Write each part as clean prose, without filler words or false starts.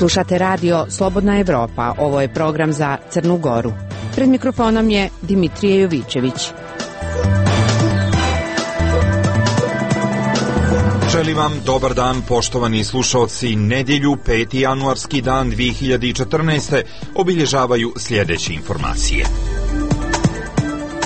Slušate radio Slobodna Evropa. Ovo je program za Crnu Goru. Pred mikrofonom je Dimitrije Jovićević. Želim vam dobar dan, poštovani slušaoci. Nedjelju, 5. januarski dan 2014. obilježavaju sljedeće informacije.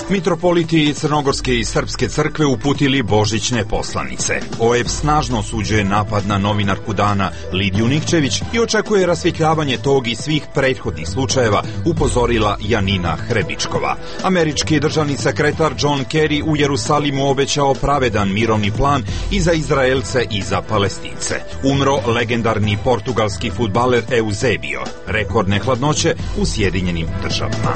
Mitropoliti Crnogorske i Srpske crkve uputili božićne poslanice. OEB snažno osuđuje napad na novinarku dana Lidiju Nikčević i očekuje rasvjetljavanje tog i svih prethodnih slučajeva, upozorila Janina Hrebičkova. Američki državni sekretar John Kerry u Jerusalimu obećao pravedan mirovni plan i za Izraelce i za Palestince. Umro legendarni portugalski fudbaler Eusebio. Rekordne hladnoće u Sjedinjenim Državama.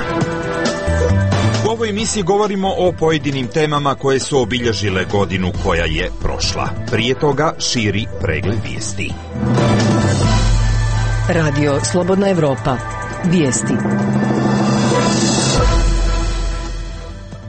U ovoj emisiji govorimo o pojedinim temama koje su obilježile godinu koja je prošla. Prije toga širi pregled vijesti. Radio Slobodna Evropa. Vijesti.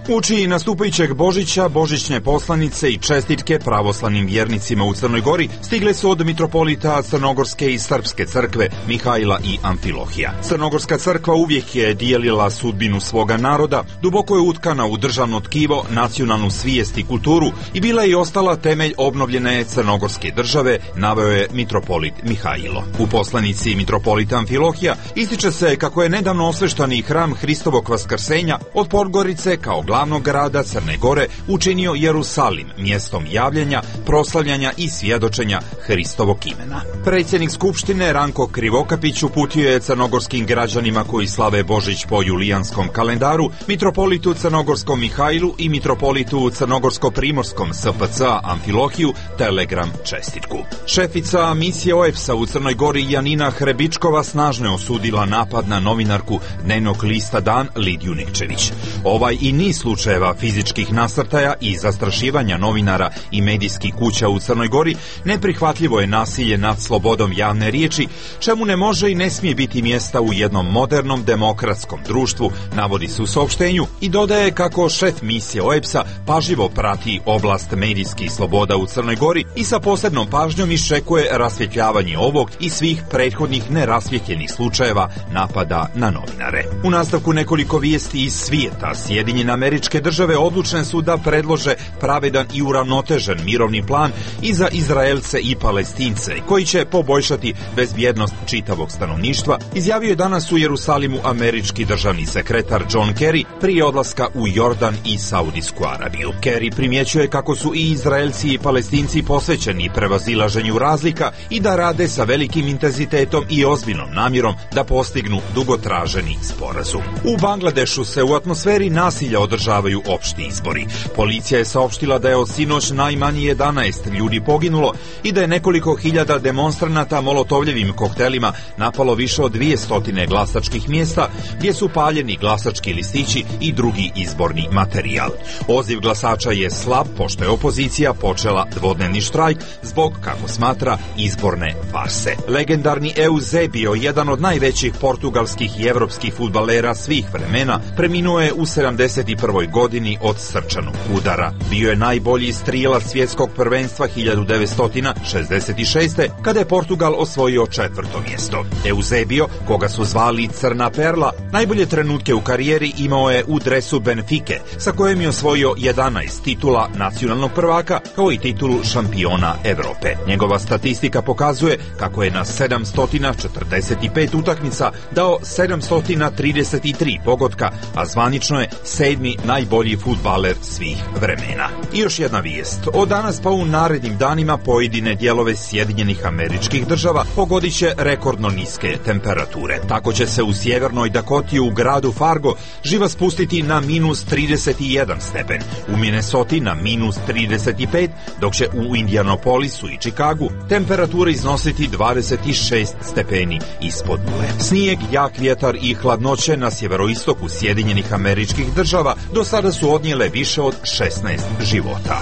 Uoči nastupajućeg Božića, božićne poslanice i čestitke pravoslavnim vjernicima u Crnoj Gori stigle su od mitropolita Crnogorske i Srpske crkve Mihajla i Amfilohija. Crnogorska crkva uvijek je dijelila sudbinu svoga naroda, duboko je utkana u državno tkivo, nacionalnu svijest i kulturu i bila je i ostala temelj obnovljene Crnogorske države, naveo je mitropolit Mihajlo. U poslanici mitropolita Amfilohija ističe se kako je nedavno osveštani hram Hristovog vaskrsenja od Podgorice kao glavnog grada Crne Gore učinio Jerusalim mjestom javljanja, proslavljanja i svjedočenja Hristovog imena. Predsjednik Skupštine Ranko Krivokapić uputio je crnogorskim građanima koji slave Božić po julijanskom kalendaru, mitropolitu Crnogorskom Mihajlu i mitropolitu Crnogorsko-primorskom SPC-a Amfilohiju telegram čestitku. Šefica misije OEBS-a u Crnoj Gori Janina Hrebičkova snažno je osudila napad na novinarku dnevnog lista Dan Lidiju Nikčević. Ovaj i niz slučajeva fizičkih nasrtaja i zastrašivanja novinara i medijskih kuća u Crnoj Gori neprihvatljivo je nasilje nad slobodom javne riječi, čemu ne može i ne smije biti mjesta u jednom modernom demokratskom društvu, navodi se u saopštenju i dodaje kako šef misije OEBS-a pažljivo prati oblast medijskih sloboda u Crnoj Gori i sa posebnom pažnjom iščekuje rasvjetljavanje ovog i svih prethodnih nerasvjetljenih slučajeva napada na novinare. U nastavku nekoliko vijesti iz svijeta. Sjedinjene Američke države odlučne su da predlože pravedan i uravnotežen mirovni plan i za Izraelce i Palestince, koji će poboljšati bezbjednost čitavog stanovništva, izjavio je danas u Jerusalimu američki državni sekretar John Kerry prije odlaska u Jordan i Saudijsku Arabiju. Kerry primjećuje kako su i Izraelci i Palestinci posvećeni prevazilaženju razlika i da rade sa velikim intenzitetom i ozbiljnom namjerom da postignu dugotraženi sporazum. U Bangladešu se u atmosferi nasilja održavaju opšti izbori. Policija je saopštila da je od sinoć najmanje 11 ljudi poginulo i da je nekoliko hiljada demonstranata molotovljevim koktelima napalo više od 200 glasačkih mjesta gdje su paljeni glasački listići i drugi izborni materijal. Odziv glasača je slab pošto je opozicija počela dvodnevni štrajk zbog, kako smatra, izborne farse. Legendarni Eusebio, jedan od najvećih portugalskih i evropskih fudbalera svih vremena, preminuo je u 71. godini od srčanog udara. Bio je najbolji strilac svjetskog prvenstva 1966. kada je Portugal osvojio 4. mjesto. Eusebio, koga su zvali Crna perla, najbolje trenutke u karijeri imao je u dresu Benfike, sa kojim je osvojio 11 titula nacionalnog prvaka, kao i titulu šampiona Europe. Njegova statistika pokazuje kako je na 745 utakmica dao 733 pogotka, a zvanično je 7. najbolji fudbaler svih vremena. I još jedna vijest. Od danas pa u narednim danima pojedine dijelove Sjedinjenih Američkih Država pogodit će rekordno niske temperature. Tako će se u sjevernoj Dakoti u gradu Fargo živa spustiti na minus 31 stepen, u Minnesoti na minus 35, dok će u Indianapolisu i Chicagu temperatura iznositi 26 stepeni ispod nule. Snijeg, jak vjetar i hladnoće na sjeveroistoku Sjedinjenih Američkih Država do sada su odnijele više od 16 života.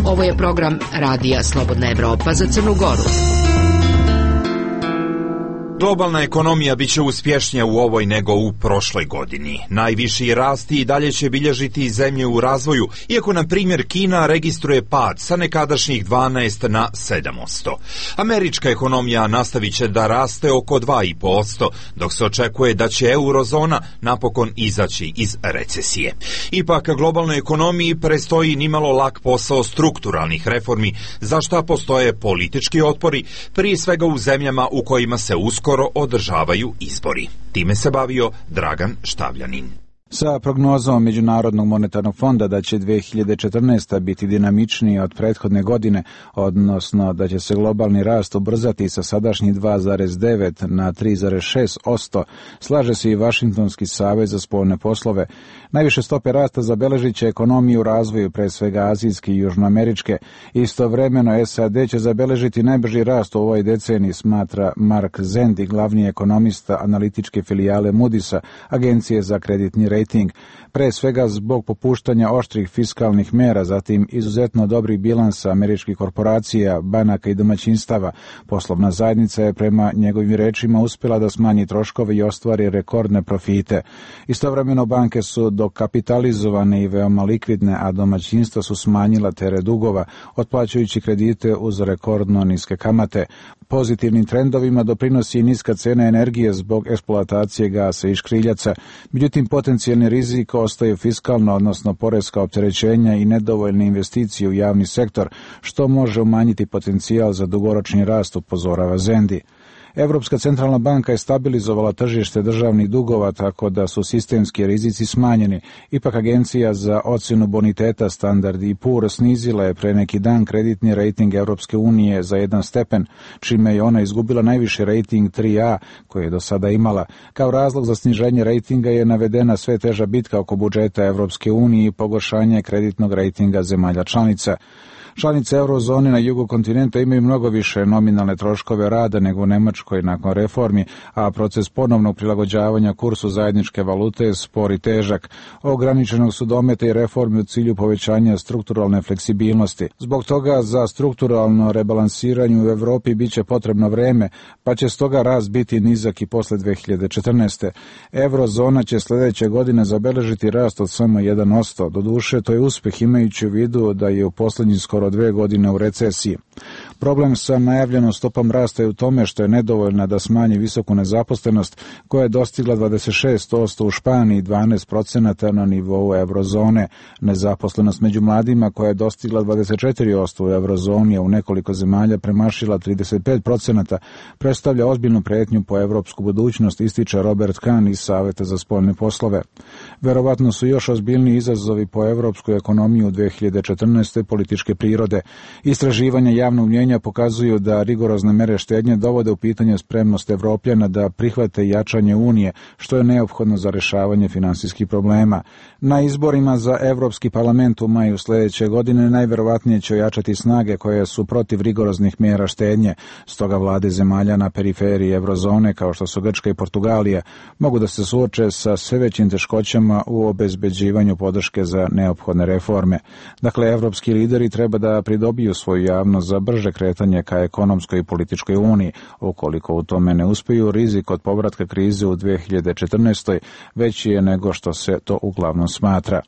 Ovo je program Radija Slobodna Evropa za Crnu Goru. Globalna ekonomija biće uspješnija u ovoj nego u prošloj godini. Najviši rasti i dalje će bilježiti zemlje u razvoju, iako na primjer Kina registruje pad sa nekadašnjih 12 na 7%. Američka ekonomija nastavit će da raste oko 2,5%, dok se očekuje da će eurozona napokon izaći iz recesije. Ipak globalnoj ekonomiji prestoji nimalo lak posao strukturalnih reformi, za šta postoje politički otpori, prije svega u zemljama u kojima se uskoro održavaju izbori. Time se bavio Dragan Štavljanin. Sa prognozom Međunarodnog monetarnog fonda da će 2014. biti dinamičniji od prethodne godine, odnosno da će se globalni rast ubrzati sa sadašnjih 2,9 na 3,6%, slaže se i Vašingtonski savez za spoljne poslove. Najviše stope rasta zabeležit će ekonomiju u razvoju, pre svega azijske i južnoameričke. Istovremeno SAD će zabeležiti najbrži rast u ovoj deceniji, smatra Mark Zendi, glavni ekonomista analitičke filijale Moody'sa, agencije za kreditni rating, pre svega zbog popuštanja oštrih fiskalnih mera, zatim izuzetno dobrih bilansa američkih korporacija, banaka i domaćinstava. Poslovna zajednica je prema njegovim rečima uspjela da smanji troškove i ostvari rekordne profite. Istovremeno banke su dokapitalizovane i veoma likvidne, a domaćinstva su smanjila teret dugova, otplaćujući kredite uz rekordno niske kamate. Pozitivnim trendovima doprinosi i niska cena energije zbog eksploatacije gasa i škriljaca. Međutim, potencijalni rizik ostaje fiskalno, odnosno poreska opterećenja i nedovoljne investicije u javni sektor, što može umanjiti potencijal za dugoročni rast, upozorava Zendi. Evropska centralna banka je stabilizovala tržište državnih dugova tako da su sistemski rizici smanjeni. Ipak agencija za ocjenu boniteta Standard & Poor's snizila je pre neki dan kreditni rating Europske unije za 1 stepen, čime je ona izgubila najviši rating 3A koji je do sada imala. Kao razlog za sniženje ratinga je navedena sve teža bitka oko budžeta Europske unije i pogoršanje kreditnog ratinga zemalja članica. Članice eurozone na jugu kontinenta imaju mnogo više nominalne troškove rada nego u Nemačkoj nakon reformi, a proces ponovnog prilagođavanja kursu zajedničke valute je spor i težak. Ograničenog su dometa i reformi u cilju povećanja strukturalne fleksibilnosti. Zbog toga za strukturalno rebalansiranje u Evropi biće potrebno vreme, pa će stoga rast biti nizak i posle 2014. Eurozona će sljedeće godine zabeležiti rast od samo 1%. Doduše, to je uspeh imajući u vidu da je u posljednjih skoro 2 godine u recesiji. Problem sa najavljenom stopom rasta je u tome što je nedovoljna da smanji visoku nezaposlenost koja je dostigla 26% u Španiji, 12% na nivou eurozone. Nezaposlenost među mladima koja je dostigla 24% u eurozoni, a u nekoliko zemalja premašila 35%, predstavlja ozbiljnu prijetnju po evropsku budućnost, ističe Robert Kahn iz Saveta za spoljne poslove. Verovatno su još ozbiljniji izazovi po evropsku ekonomiju u 2014. političke prirode. Istraživanja javnog mnjenja pokazuju da rigorozne mere štednje dovode u pitanje spremnost Evropljana da prihvate jačanje Unije, što je neophodno za rješavanje finansijskih problema. Na izborima za Evropski parlament u maju sljedeće godine najverovatnije će ojačati snage koje su protiv rigoroznih mjera štednje. Stoga vlade zemalja na periferiji eurozone, kao što su Grčka i Portugalija, mogu da se suoče sa sve većim teškoćama u obezbeđivanju podrške za neophodne reforme. Dakle, evropski lideri treba da pridobiju svoju javnost za brže kretanje ka ekonomskoj i političkoj uniji. Ukoliko u tome ne uspiju, rizik od povratka krize u 2014. veći je nego što se to uglavnom smatra.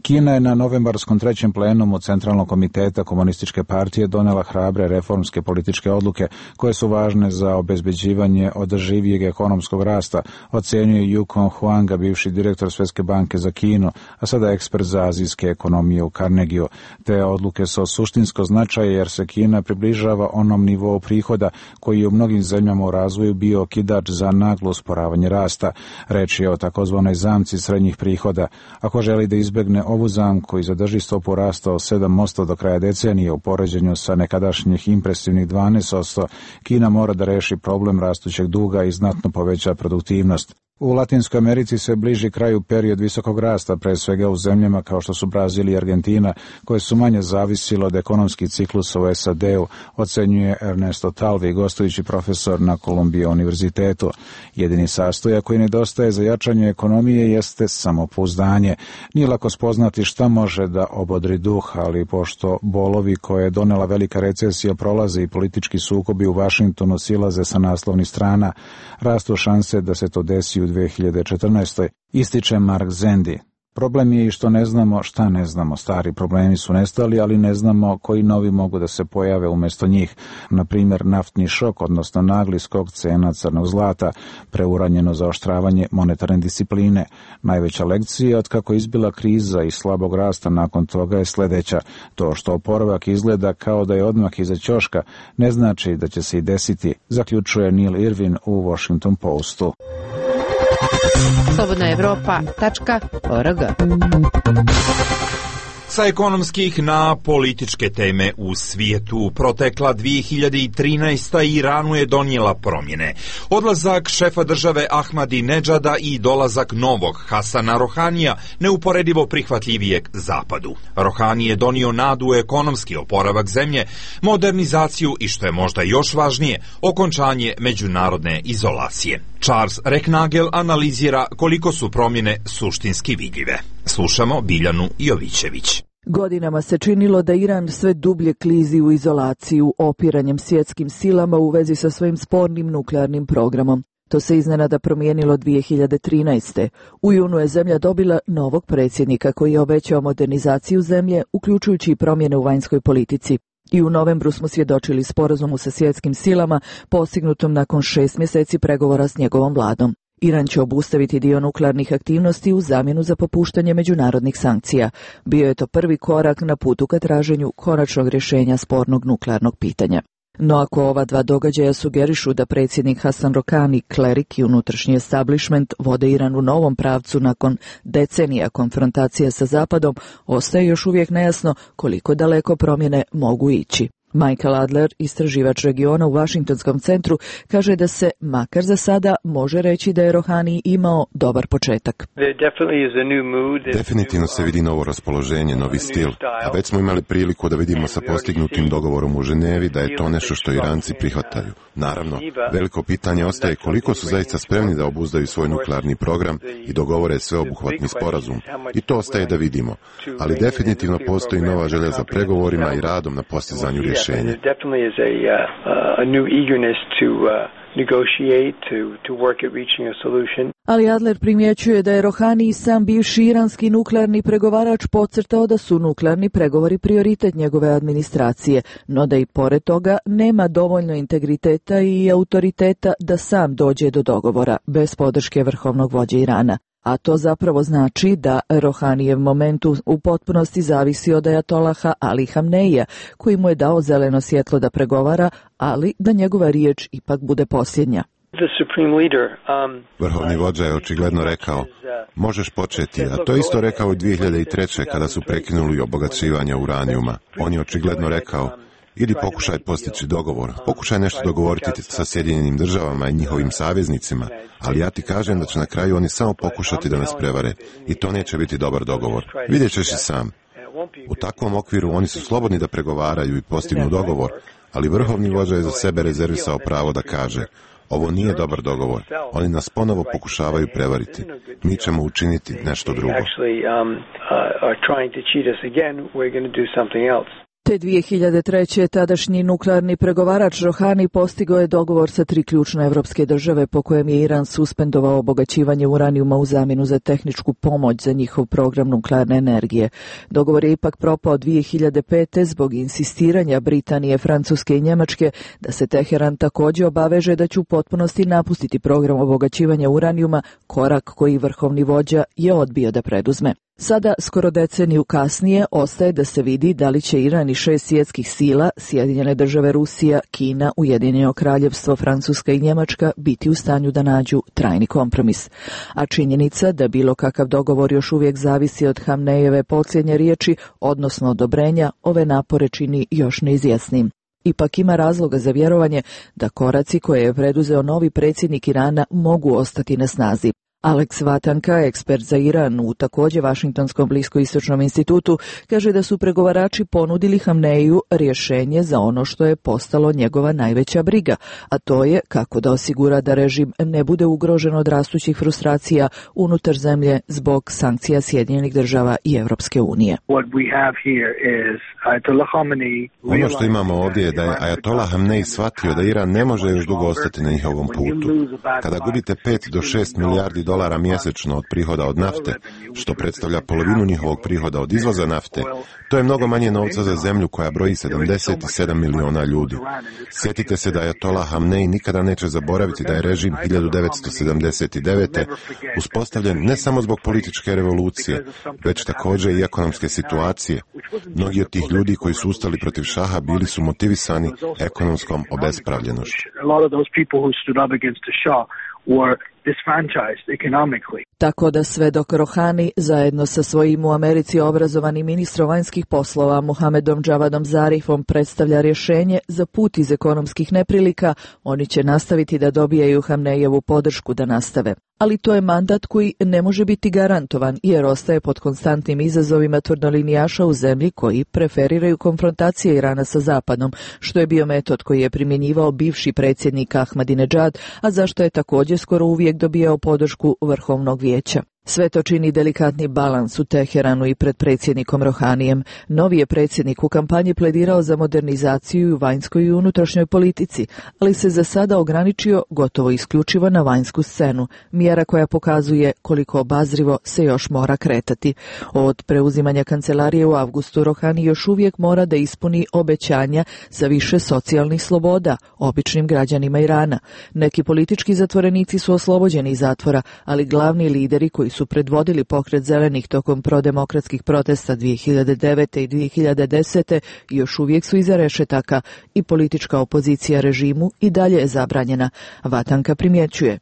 Kina je na novembarskom 3. plenumu Centralnog komiteta Komunističke partije donela hrabre reformske političke odluke koje su važne za obezbeđivanje održivijeg ekonomskog rasta, ocenjuje Yukon Huanga, bivši direktor Svjetske banke za Kinu, a sada ekspert za azijske ekonomije u Carnegieu. Te odluke su od suštinskog značaja jer se Kina približava onom nivou prihoda koji je u mnogim zemljama u razvoju bio okidač za naglo usporavanje rasta. Reč je o takozvanoj zamci srednjih prihoda. Ako želi da izbegne ovu zamku i zadrži stopu rasta od 7% do kraja decenije u poređenju sa nekadašnjih impresivnih 12%, Kina mora da reši problem rastućeg duga i znatno poveća produktivnost. U Latinskoj Americi se bliži kraju period visokog rasta, pre svega u zemljama kao što su Brazil i Argentina, koje su manje zavisile od ekonomskih ciklusa u SAD-u, ocenjuje Ernesto Talvi, gostujući profesor na Columbia univerzitetu. Jedini sastojak koji nedostaje za jačanje ekonomije jeste samopouzdanje. Nije lako spoznati šta može da obodri duh, ali pošto bolovi koje je donela velika recesija prolaze i politički sukobi u Vašingtonu silaze sa naslovnih strana, rastu šanse da se to desi u 2014. ističe Mark Zendi. Problem je i što ne znamo šta ne znamo. Stari problemi su nestali, ali ne znamo koji novi mogu da se pojave umjesto njih. Na primjer, naftni šok, odnosno nagli skok cena crnog zlata, preuranjeno zaoštravanje monetarne discipline. Najveća lekcija od kako izbila kriza i slabog rasta nakon toga je sljedeća. To što oporavak izgleda kao da je odmah iza ćoška, ne znači da će se i desiti, zaključuje Neil Irvin u Washington Postu. slobodnaevropa.org. Sa ekonomskih na političke teme u svijetu. Protekla 2013. Iranu je donijela promjene. Odlazak šefa države Ahmadinedžada i dolazak novog Hasana Rohanija, neuporedivo prihvatljivijeg zapadu. Rohani je donio nadu u ekonomski oporavak zemlje, modernizaciju i, što je možda još važnije, okončanje međunarodne izolacije. Charles Reknagel analizira koliko su promjene suštinski vidljive. Slušamo Biljanu Jovićević. Godinama se činilo da Iran sve dublje klizi u izolaciju opiranjem svjetskim silama u vezi sa svojim spornim nuklearnim programom. To se iznenada promijenilo 2013. U junu je zemlja dobila novog predsjednika koji je obećao modernizaciju zemlje, uključujući i promjene u vanjskoj politici. I u novembru smo svjedočili sporazumu sa svjetskim silama postignutom nakon 6 mjeseci pregovora s njegovom vladom. Iran će obustaviti dio nuklearnih aktivnosti u zamjenu za popuštanje međunarodnih sankcija. Bio je to prvi korak na putu ka traženju konačnog rješenja spornog nuklearnog pitanja. No ako ova dva događaja sugerišu da predsjednik Hasan Rohani, klerik i unutrašnji establishment vode Iran u novom pravcu nakon decenija konfrontacije sa Zapadom, ostaje još uvijek nejasno koliko daleko promjene mogu ići. Michael Adler, istraživač regiona u Washingtonskom centru, kaže da se, makar za sada, može reći da je Rohani imao dobar početak. Definitivno se vidi novo raspoloženje, novi stil, a već smo imali priliku da vidimo sa postignutim dogovorom u Ženevi da je to nešto što Iranci prihvataju. Naravno, veliko pitanje ostaje koliko su zaista spremni da obuzdaju svoj nuklearni program i dogovore sveobuhvatni sporazum. I to ostaje da vidimo. Ali definitivno postoji nova želja za pregovorima i radom na postizanju rješenja. Ali Adler primjećuje da je Rohani i sam bivši iranski nuklearni pregovarač podcrtao da su nuklearni pregovori prioritet njegove administracije, no da i pored toga nema dovoljno integriteta i autoriteta da sam dođe do dogovora, bez podrške vrhovnog vođe Irana. A to zapravo znači da Rohanijev moment u potpunosti zavisi od ajatolaha Ali Hamneija, koji mu je dao zeleno svjetlo da pregovara, ali da njegova riječ ipak bude posljednja. Vrhovni vođa je očigledno rekao, možeš početi, a to isto rekao i 2003. kada su prekinuli obogaćivanje uranijuma. On je očigledno rekao, idi pokušaj postići dogovor, pokušaj nešto dogovoriti sa Sjedinjenim državama i njihovim saveznicima, ali ja ti kažem da će na kraju oni samo pokušati da nas prevare i to neće biti dobar dogovor. Vidjet ćeš i sam. U takvom okviru oni su slobodni da pregovaraju i postignu dogovor, ali vrhovni vođa je za sebe rezervisao pravo da kaže, ovo nije dobar dogovor, oni nas ponovo pokušavaju prevariti, mi ćemo učiniti nešto drugo. Te 2003. tadašnji nuklearni pregovarač Rohani postigao je dogovor sa 3 ključne evropske države po kojem je Iran suspendovao obogaćivanje uranijuma u zamjenu za tehničku pomoć za njihov program nuklearne energije. Dogovor je ipak propao 2005. zbog insistiranja Britanije, Francuske i Njemačke da se Teheran također obaveže da će u potpunosti napustiti program obogaćivanja uranijuma, korak koji vrhovni vođa je odbio da preduzme. Sada, skoro deceniju kasnije, ostaje da se vidi da li će Iran i 6 svjetskih sila, Sjedinjene države, Rusija, Kina, Ujedinjeno kraljevstvo, Francuska i Njemačka, biti u stanju da nađu trajni kompromis. A činjenica da bilo kakav dogovor još uvijek zavisi od Hamnejeve posljednje riječi, odnosno odobrenja, ove napore čini još neizvjesnim. Ipak ima razloga za vjerovanje da koraci koje je preduzeo novi predsjednik Irana mogu ostati na snazi. Alex Vatanka, ekspert za Iran u također Vašingtonskom bliskoistočnom institutu, kaže da su pregovarači ponudili Hamneiju rješenje za ono što je postalo njegova najveća briga, a to je kako da osigura da režim ne bude ugrožen od rastućih frustracija unutar zemlje zbog sankcija Sjedinjenih država i Europske unije. Ono što imamo ovdje je da je Ajatola Hamnej shvatio da Iran ne može još dugo ostati na njihovom putu. Kada gubite 5 do 6 milijardi dolara mjesečno od prihoda od nafte, što predstavlja polovinu njihovog prihoda od izvoza nafte, to je mnogo manje novca za zemlju koja broji 77 miliona ljudi. Sjetite se da Ajatola Hamnej nikada neće zaboraviti da je režim 1979. uspostavljen ne samo zbog političke revolucije, već također i ekonomske situacije. Mnogi od tih ljudi koji su ustali protiv šaha bili su motivisani ekonomskom obespravljenošću. Tako da sve dok Rohani zajedno sa svojim u Americi obrazovanim ministrom vanjskih poslova Mohamedom Javadom Zarifom predstavlja rješenje za put iz ekonomskih neprilika, oni će nastaviti da dobijaju Hamnejevu podršku da nastave. Ali to je mandat koji ne može biti garantovan jer ostaje pod konstantnim izazovima tvrdolinijaša u zemlji koji preferiraju konfrontacije Irana sa Zapadom, što je bio metod koji je primjenjivao bivši predsjednik Ahmadinejad, a zašto je također skoro uvijek dobijao podršku Vrhovnog vijeća. Sve to čini delikatni balans u Teheranu i pred predsjednikom Rohanijem. Novi je predsjednik u kampanji pledirao za modernizaciju u vanjskoj i unutrašnjoj politici, ali se za sada ograničio gotovo isključivo na vanjsku scenu, mjera koja pokazuje koliko obazrivo se još mora kretati. Od preuzimanja kancelarije u avgustu Rohani još uvijek mora da ispuni obećanja za više socijalnih sloboda običnim građanima Irana. Neki politički zatvorenici su oslobođeni iz zatvora, ali glavni lideri koji su predvodili pokret zelenih tokom prodemokratskih protesta 2009. i 2010. još uvijek su iza rešetaka i politička opozicija režimu i dalje je zabranjena. Vatanka primjećuje.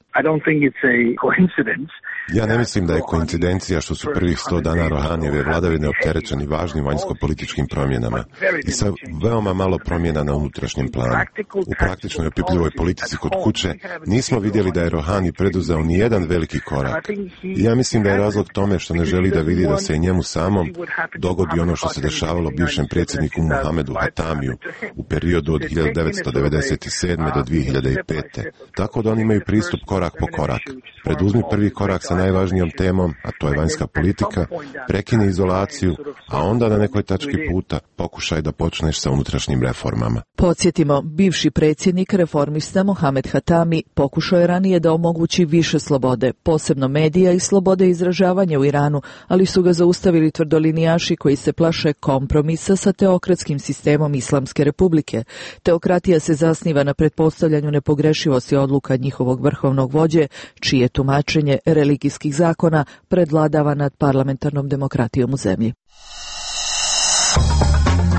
Ja ne mislim da je koincidencija što su prvih 100 dana Rohanijeve vladavine opterećeni važnim vanjsko-političkim promjenama i sa veoma malo promjena na unutrašnjem planu. U praktičnoj opipljivoj politici kod kuće nismo vidjeli da je Rohani preduzeo ni jedan veliki korak. I ja mislim da je razlog tome što ne želi da vidi da se njemu samom dogodi ono što se dešavalo bivšem predsjedniku Mohamedu Hatamiju u periodu od 1997. do 2005. Tako da oni imaju pristup korak po korak. Preduzmi prvi korak sa najvažnijom temom, a to je vanjska politika, prekini izolaciju, a onda na nekoj tački puta pokušaj da počneš sa unutrašnjim reformama. Podsjetimo, bivši predsjednik reformista Mohamed Hatami pokušao je ranije da omogući više slobode, posebno medija i slobode izražavanja u Iranu, ali su ga zaustavili tvrdolinijaši koji se plaše kompromisa sa teokratskim sistemom Islamske republike. Teokratija se zasniva na pretpostavljanju nepogrešivosti odluka njihovog vrhovnog vođe, čije tumačenje religijskih zakona predvladava nad parlamentarnom demokratijom u zemlji.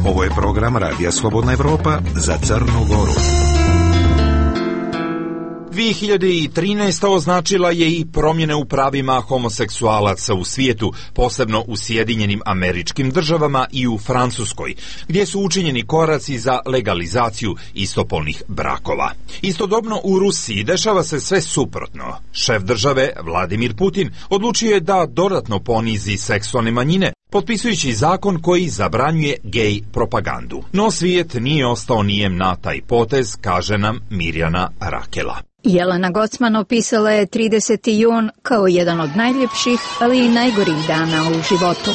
Ovo je program Radija Slobodna Evropa za Crnu Goru. 2013. označila je i promjene u pravima homoseksualaca u svijetu, posebno u Sjedinjenim Američkim Državama i u Francuskoj, gdje su učinjeni koraci za legalizaciju istopolnih brakova. Istodobno u Rusiji dešava se sve suprotno. Šef države, Vladimir Putin, odlučio je da dodatno ponizi seksualne manjine, potpisujući zakon koji zabranjuje gej propagandu. No svijet nije ostao nijem na taj potez, kaže nam Mirjana Rakela. Jelena Gocman opisala je 30. jun kao jedan od najljepših, ali i najgorih dana u životu.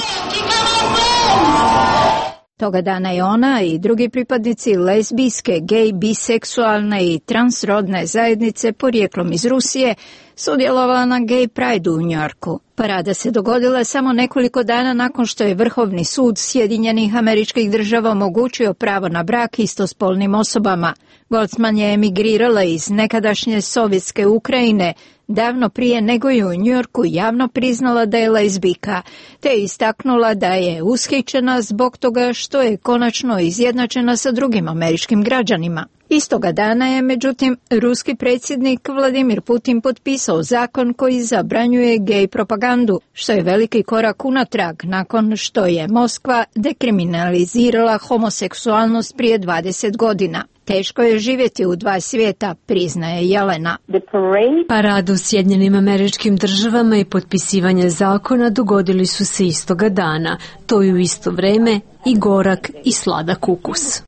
Toga dana je ona i drugi pripadnici lezbijske, gej, biseksualne i transrodne zajednice porijeklom iz Rusije sudjelovala na Gay Pride u Njujorku. Parada se dogodila samo nekoliko dana nakon što je Vrhovni sud Sjedinjenih Američkih Država omogućio pravo na brak istospolnim osobama. Goldsman je emigrirala iz nekadašnje sovjetske Ukrajine davno prije nego je u Njujorku javno priznala da je lezbijka, te istaknula da je ushićena zbog toga što je konačno izjednačena sa drugim američkim građanima. Istoga dana je, međutim, ruski predsjednik Vladimir Putin potpisao zakon koji zabranjuje gej propagandu, što je veliki korak unatrag nakon što je Moskva dekriminalizirala homoseksualnost prije 20 godina. Teško je živjeti u dva svijeta, priznaje Jelena. Parad u Sjedinjenim Američkim Državama i potpisivanje zakona dogodili su se istoga dana. To je u isto vrijeme i gorak i sladak ukus.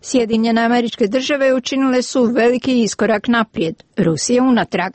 Sjedinjene Američke Države učinile su veliki iskorak naprijed, Rusija unatrag.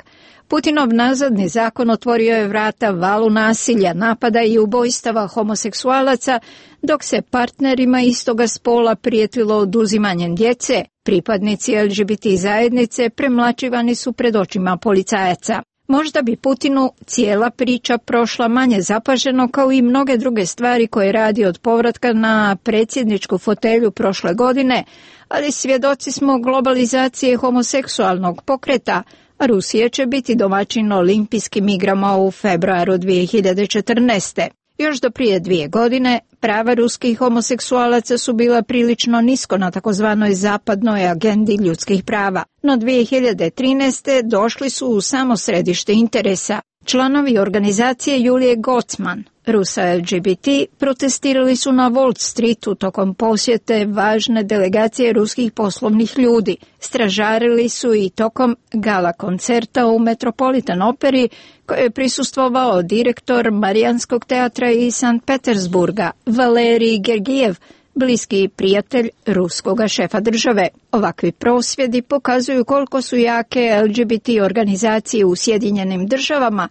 Putinov nazadni zakon otvorio je vrata valu nasilja, napada i ubojstava homoseksualaca, dok se partnerima istoga spola prijetilo oduzimanjem djece. Pripadnici LGBT zajednice premlaćivani su pred očima policajaca. Možda bi Putinu cijela priča prošla manje zapaženo kao i mnoge druge stvari koje radi od povratka na predsjedničku fotelju prošle godine, ali svjedoci smo globalizacije homoseksualnog pokreta, a Rusija će biti domaćin olimpijskim igrama u februaru 2014. Još do prije 2 godine prava ruskih homoseksualaca su bila prilično nisko na takozvanoj zapadnoj agendi ljudskih prava, no 2013. došli su u samo središte interesa. Članovi organizacije Julije Gocman, Rusa LGBT, protestirali su na Wall Streetu tokom posjete važne delegacije ruskih poslovnih ljudi. Stražarili su i tokom gala koncerta u Metropolitan operi koje je prisustvovao direktor Marijanskog teatra iz Sankt Petersburga, Valerij Gergijev, bliski prijatelj ruskoga šefa države. Ovakvi prosvjedi pokazuju koliko su jake LGBT organizacije u Sjedinjenim Državama,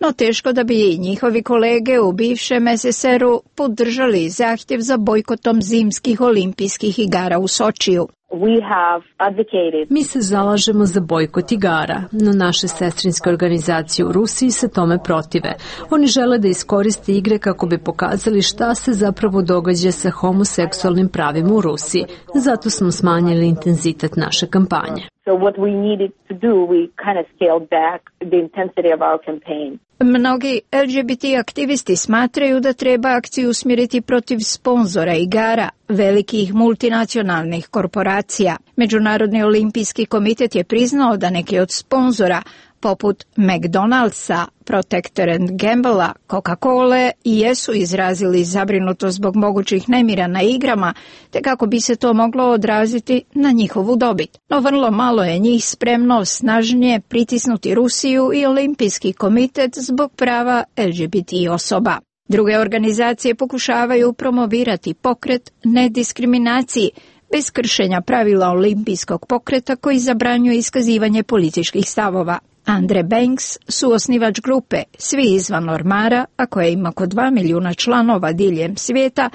no teško da bi i njihovi kolege u bivšem SSR-u podržali zahtjev za bojkotom zimskih olimpijskih igara u Sočiju. Mi se zalažemo za bojkot igara, no naše sestrinske organizacije u Rusiji se tome protive. Oni žele da iskoriste igre kako bi pokazali šta se zapravo događa sa homoseksualnim pravima u Rusiji. Zato smo smanjili intenzitet naše kampanje. Mnogi LGBT aktivisti smatraju da treba akciju usmjeriti protiv sponzora igara, velikih multinacionalnih korporacija. Međunarodni olimpijski komitet je priznao da neki od sponzora, poput McDonald'sa, Procter & Gamblea, Coca-Cola, jesu izrazili zabrinutost zbog mogućih nemira na igrama, te kako bi se to moglo odraziti na njihovu dobit. No vrlo malo je njih spremno snažnije pritisnuti Rusiju i Olimpijski komitet zbog prava LGBT osoba. Druge organizacije pokušavaju promovirati pokret nediskriminaciji, bez kršenja pravila olimpijskog pokreta koji zabranjuje iskazivanje političkih stavova. Andre Banks, suosnivač grupe Svi izvan ormara, a koja ima oko 2 milijuna članova diljem svijeta,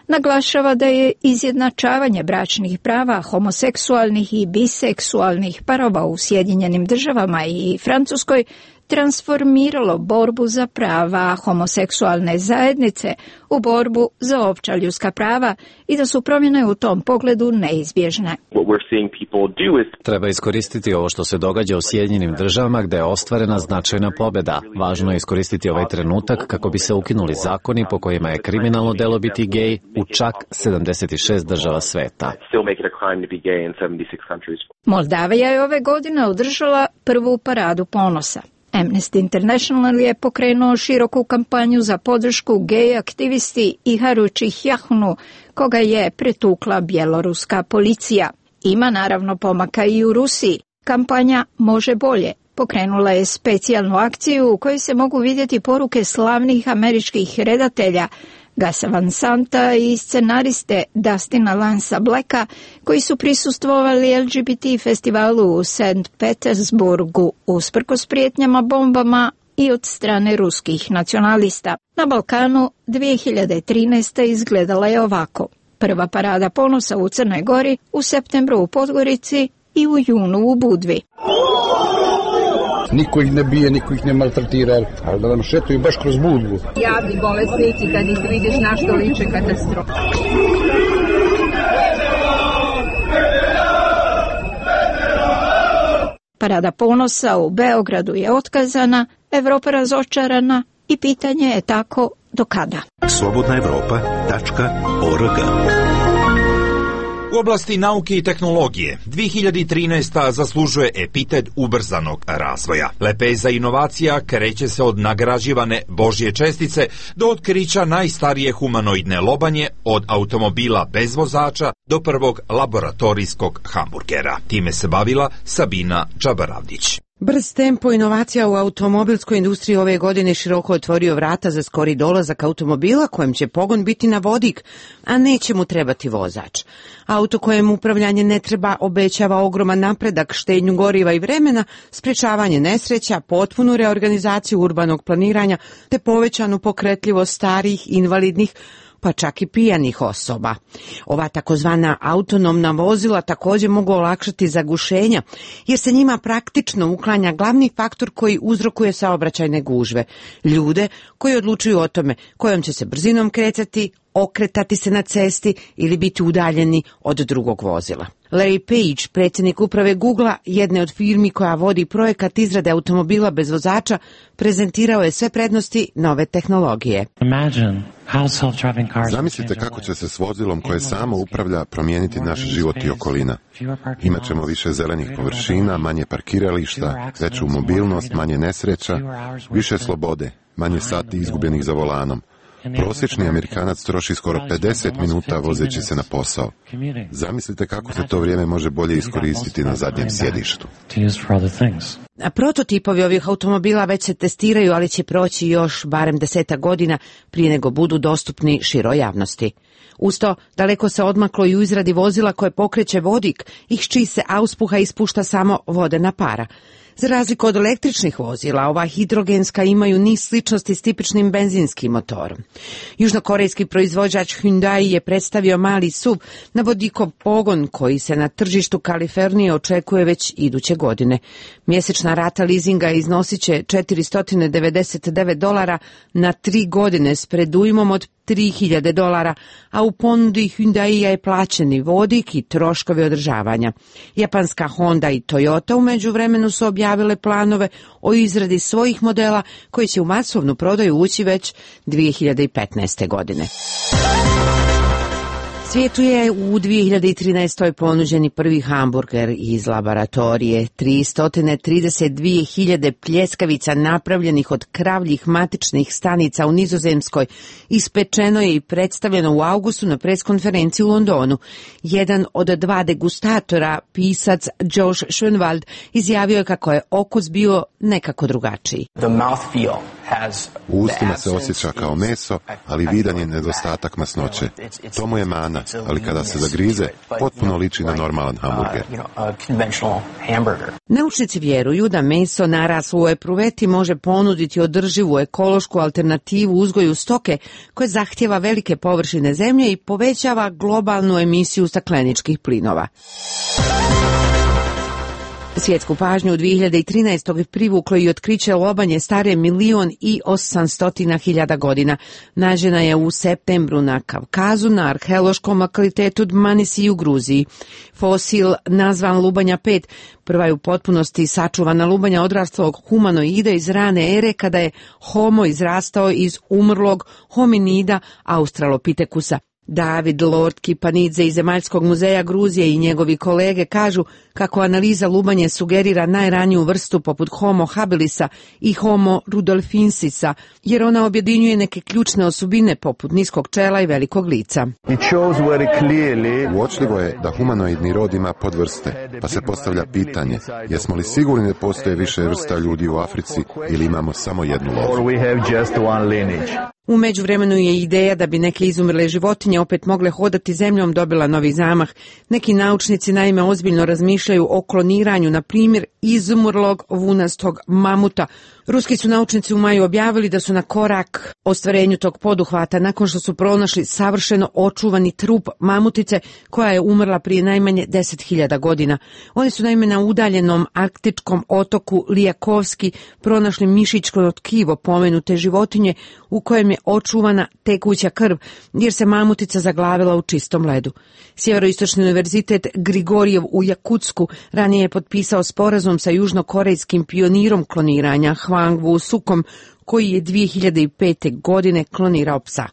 naglašava da je izjednačavanje bračnih prava homoseksualnih i biseksualnih parova u Sjedinjenim Državama i Francuskoj transformiralo borbu za prava homoseksualne zajednice u borbu za opća ljudska prava i da su promjene u tom pogledu neizbježne. Treba iskoristiti ovo što se događa u Sjedinjenim Državama gdje je ostvarena značajna pobjeda. Važno je iskoristiti ovaj trenutak kako bi se ukinuli zakoni po kojima je kriminalno delo biti gej u čak 76 država sveta. Moldavija je ove godine održala prvu paradu ponosa. Amnesty International je pokrenuo široku kampanju za podršku gej aktivisti Iharu Čihjahnu, koga je pretukla bjeloruska policija. Ima naravno pomaka i u Rusiji. Kampanja Može bolje pokrenula je specijalnu akciju u kojoj se mogu vidjeti poruke slavnih američkih redatelja Gasa Van Santa i scenariste Dustina Lansa Blacka, koji su prisustvovali LGBT festivalu u St. Petersburgu usprkos prijetnjama bombama i od strane ruskih nacionalista. Na Balkanu 2013. izgledala je ovako. Prva parada ponosa u Crnoj Gori, u septembru u Podgorici i u junu u Budvi. Niko ih ne bije, niko ih ne maltretira, ali da nam šetuju baš kroz Budvu. Javni bolesnici, kad ih vidiš na što liče katastrofa. Parada ponosa u Beogradu je otkazana, Evropa razočarana i pitanje je tako do kada. Slobodnaevropa.org. U oblasti nauke i tehnologije 2013. zaslužuje epitet ubrzanog razvoja. Lepeza inovacija kreće se od nagrađivane Božje čestice do otkrića najstarije humanoidne lobanje, od automobila bez vozača do prvog laboratorijskog hamburgera. Time se bavila Sabina Džabaravdić. Brz tempo inovacija u automobilskoj industriji ove godine široko otvorio vrata za skori dolazak automobila kojem će pogon biti na vodik, a neće mu trebati vozač. Auto kojem upravljanje ne treba obećava ogroman napredak, štednju goriva i vremena, sprečavanje nesreća, potpunu reorganizaciju urbanog planiranja te povećanu pokretljivost starijih, invalidnih, pa čak i pijanih osoba. Ova takozvana autonomna vozila također mogu olakšati zagušenja, jer se njima praktično uklanja glavni faktor koji uzrokuje saobraćajne gužve. Ljude koji odlučuju o tome kojom će se brzinom kretati, okretati se na cesti ili biti udaljeni od drugog vozila. Larry Page, predsjednik uprave Googlea, jedne od firmi koja vodi projekat izrade automobila bez vozača, prezentirao je sve prednosti nove tehnologije. Zamislite kako će se s vozilom koje samo upravlja promijeniti naš život i okolina. Imaćemo više zelenih površina, manje parkirališta, veću mobilnost, manje nesreća, više slobode, manje sati izgubljenih za volanom. Prosječni Amerikanac troši skoro 50 minuta vozeći se na posao. Zamislite kako se to vrijeme može bolje iskoristiti na zadnjem sjedištu. A prototipovi ovih automobila već se testiraju, ali će proći još barem 10 godina prije nego budu dostupni široj javnosti. Uz to, daleko se odmaklo i u izradi vozila koje pokreće vodik, iz čiji se auspuha ispušta samo vodena para. Za razliku od električnih vozila, ova hidrogenska imaju niz sličnosti s tipičnim benzinskim motorom. Južnokorejski proizvođač Hyundai je predstavio mali SUV na vodikov pogon koji se na tržištu Kalifornije očekuje već iduće godine. Mjesečna rata leasinga iznosit će $499 na 3 godine s predujmom od $3.000, a u ponudi Hyundaia je plaćeni vodik i troškovi održavanja. Japanska Honda i Toyota u međuvremenu su objavile planove o izradi svojih modela koji će u masovnu prodaju ući već 2015. godine. Svijetu je u 2013. ponuđeni prvi hamburger iz laboratorije. 332.000 pljeskavica napravljenih od kravljih matičnih stanica u Nizozemskoj ispečeno je i predstavljeno u avgustu na preskonferenciji u Londonu. Jedan od 2 degustatora, pisac Josh Schoenwald, izjavio je kako je okus bio nekako drugačiji. U ustima se osjeća kao meso, ali vidan je nedostatak masnoće. To mu je mana, ali kada se zagrize, potpuno liči na normalan hamburger. Naučnici vjeruju da meso naraslo u epruveti može ponuditi održivu ekološku alternativu uzgoju stoke koja zahtjeva velike površine zemlje i povećava globalnu emisiju stakleničkih plinova. Svjetsku pažnju u 2013. privuklo i otkriće lobanje stare 1.800.000 godina. Nađena je u septembru na Kavkazu na arheološkom lokalitetu Dmanisi u Gruziji. Fosil, nazvan lubanja 5, prva je u potpunosti sačuvana lubanja odraslog humanoida iz rane ere kada je Homo izrastao iz umrlog hominida Australopithekusa. David Lord Kipanidze iz Zemaljskog muzeja Gruzije i njegovi kolege kažu kako analiza lubanje sugerira najraniju vrstu poput Homo habilisa i Homo rudolfensisa, jer ona objedinjuje neke ključne osobine poput niskog čela i velikog lica. Uočljivo je da humanoidni rod ima podvrste, pa se postavlja pitanje, jesmo li sigurni da postoje više vrsta ljudi u Africi ili imamo samo jednu lozu? U međuvremenu je ideja da bi neke izumrle životinje opet mogle hodati zemljom dobila novi zamah. Neki naučnici naime ozbiljno razmišljaju o kloniranju, na primjer, izumrlog vunastog mamuta. Ruski su naučnici u maju objavili da su na korak ostvarenju tog poduhvata nakon što su pronašli savršeno očuvani trup mamutice koja je umrla prije najmanje 10.000 godina. Oni su naime na udaljenom arktičkom otoku Lijakovski pronašli mišićko tkivo pomenute životinje u kojem je očuvana tekuća krv, jer se mamutica zaglavila u čistom ledu. Sjeveroistočni univerzitet Grigorijev u Jakutsku ranije je potpisao sporazum sa južnokorejskim pionirom kloniranja Hwang Woo-sukom, koji je 2005. godine klonirao psa.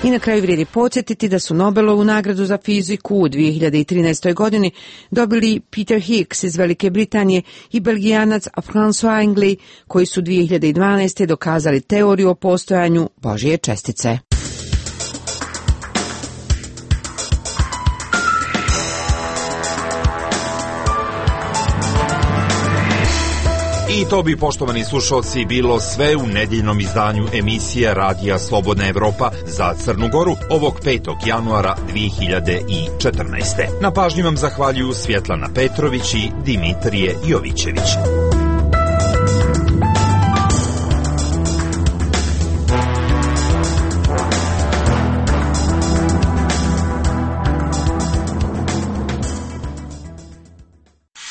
I na kraju vrijedi podsjetiti da su Nobelovu nagradu za fiziku u 2013. godini dobili Peter Higgs iz Velike Britanije i Belgijanac François Engley, koji su 2012. dokazali teoriju o postojanju Božje čestice. I to bi, poštovani slušalci, bilo sve u nedjeljnom izdanju emisije Radija Slobodna Evropa za Crnu Goru ovog 5. januara 2014. Na pažnji vam zahvaljuju Svjetlana Petrović i Dimitrije Jovićević.